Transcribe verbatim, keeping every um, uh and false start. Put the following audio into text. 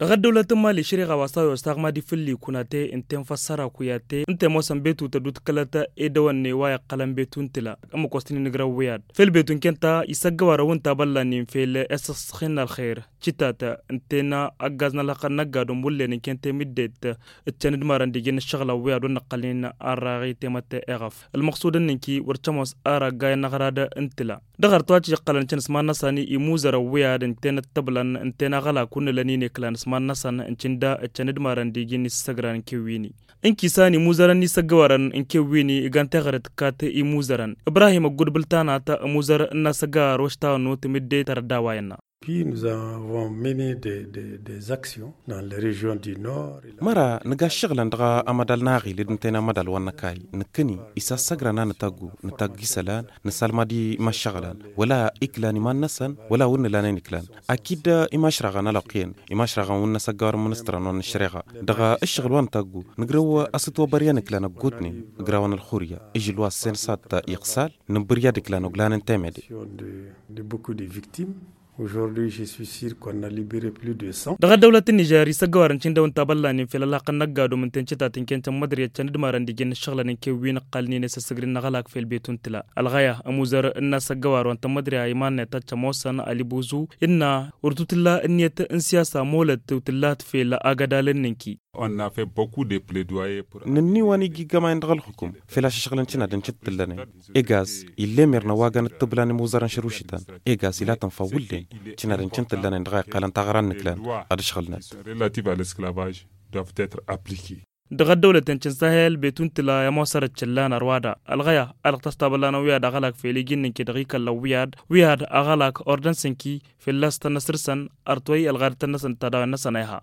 Dăɣ-ăddăwlăt n-imali šăriɣa wa s-a-wa s-taɣmadi făll-ikunate ǝnta i-infăssăra kuyate ǝnta i-ămoosăn betu tăddutkălăt i-dăwănne wa iqqălăn betu n-tǝla. Ămmăk wa s-tăn-in-ǝgrăw wi-ad făll-betu ǝnken ta isăggăwarăn wǝnta băllan-in fel i-săsxin n-ălxer. Cǝtat ǝnta i-năggaz n-ălxăqqăn n-ăgg-adǝm wǝllen ǝnken ta i-mǝddet ǝccăn d-imarăn d-iji n-ǝššăɣǝlăn wi ad-wăr nǝqqălnen. Arraɣ i-temătte eɣăf ălmăqsud ǝnnǝnki wăr cămoos ara ăgg-ayăn n-aɣrad n-tǝla. Dăɣ-arăt wa cǝjăqqălăn căn s-iman-năsăn i-imuzărăn wi ad-ǝnten ăttăblan ǝnten aɣălak wǝnnǝlăn i-nǝklan s-iman-năsăn ǝncǝnda ǝccăn d-imarăn d-iji n-isǝssăgran n-kewwini. Ǝnkisan imuzărăn n-isăggăwarăn n-kewwini igan teɣăre tǝkkat imuzărăn. Ibrahim ăgg-udbǝl tanat ămuzăr n-asăggăwar wa s-tawănnut mǝdde tărădda wa innă. Puis nous avons mené des des des actions dans les régions du nord. Măra nǝga ǝššăɣǝlăn dăɣ-amădal n-aɣil d-ǝnta i-năɣ amădal wa n-năkay nǝkkǝni isăssăgran a nǝtaggu nǝtaggu isălan. Nǝsalmad i-imăššăɣǝlăn wăla iklan iman-năsăn wăla wǝnnǝlanen iklan. Akid imašraɣăn ălwăqq-en imašraɣăn wǝnnăs ăggawăr n-ministărăn wa n-ăššăreɣa. Dăɣ-ǝššăɣǝl wa nǝtaggu nǝgrăw asǝtwăbăryăn iklan ăggootnen ǝgrawăn ălxurǝyya. Ižǝl wa ǝssen s-ad-iqqǝsal nǝbbǝrǝy ad-iklan oglanen temede. De beaucoup de victimes. Aujourd'hui je suis sûr qu'on a libéré plus de cent. Dăɣ-ăddăwlăt n-nižer isăggăwarăn cǝndăw ǝnta băllanen fel ălhăqqăn n-ăgg-adum ǝnta i-n-cǝtat ǝnken cămmădrǝy ăccăn d-imarăn d-ijăn n-ǝššăɣǝlăn n-kewwin ǝqqălnen i-săssǝgrin n-aɣălak fel betun tǝla. Ălɣăya ămuzăr n-asăggăwar wa n-tămmădrǝy a iman-net ad-cămoosăn ălibuzǝw innă wăr tǝtǝlla ǝnniyăt n-siyasa molăt tǝwtǝllat fel agădal n-inki. Nǝnni wa n-iji ǝggămayăn dăɣ-ălxukum fel ašăšɣǝlăn cǝnadăn cǝttǝllănen. Egaz ill'-e mirnă wa găn ǝttǝblan imuzărăn šărušităn. Egaz ila tǝnfa wǝllen cǝnadăn cǝntǝllănen dăɣ-a iqqălăn taɣra n-inǝklan ad-ǝšɣǝlnăt. Relative à l'esclavage doivent etre appliquer. Dăɣ-ăddăwlăten cǝnsahel betun tǝla i-ămoosărăt cǝllan ărwa da ălɣăya. Alăɣ tăstabăllanăn wi ad-aɣălak fel iji n-inki dăɣ-ikăllăn wi ad-wi ad-aɣălak ordăn s-inki fălla-s tănnăsrǝsăn. Ărtwăy ălɣadăt tănnăsăn d-tadawăn-năsăn a iha.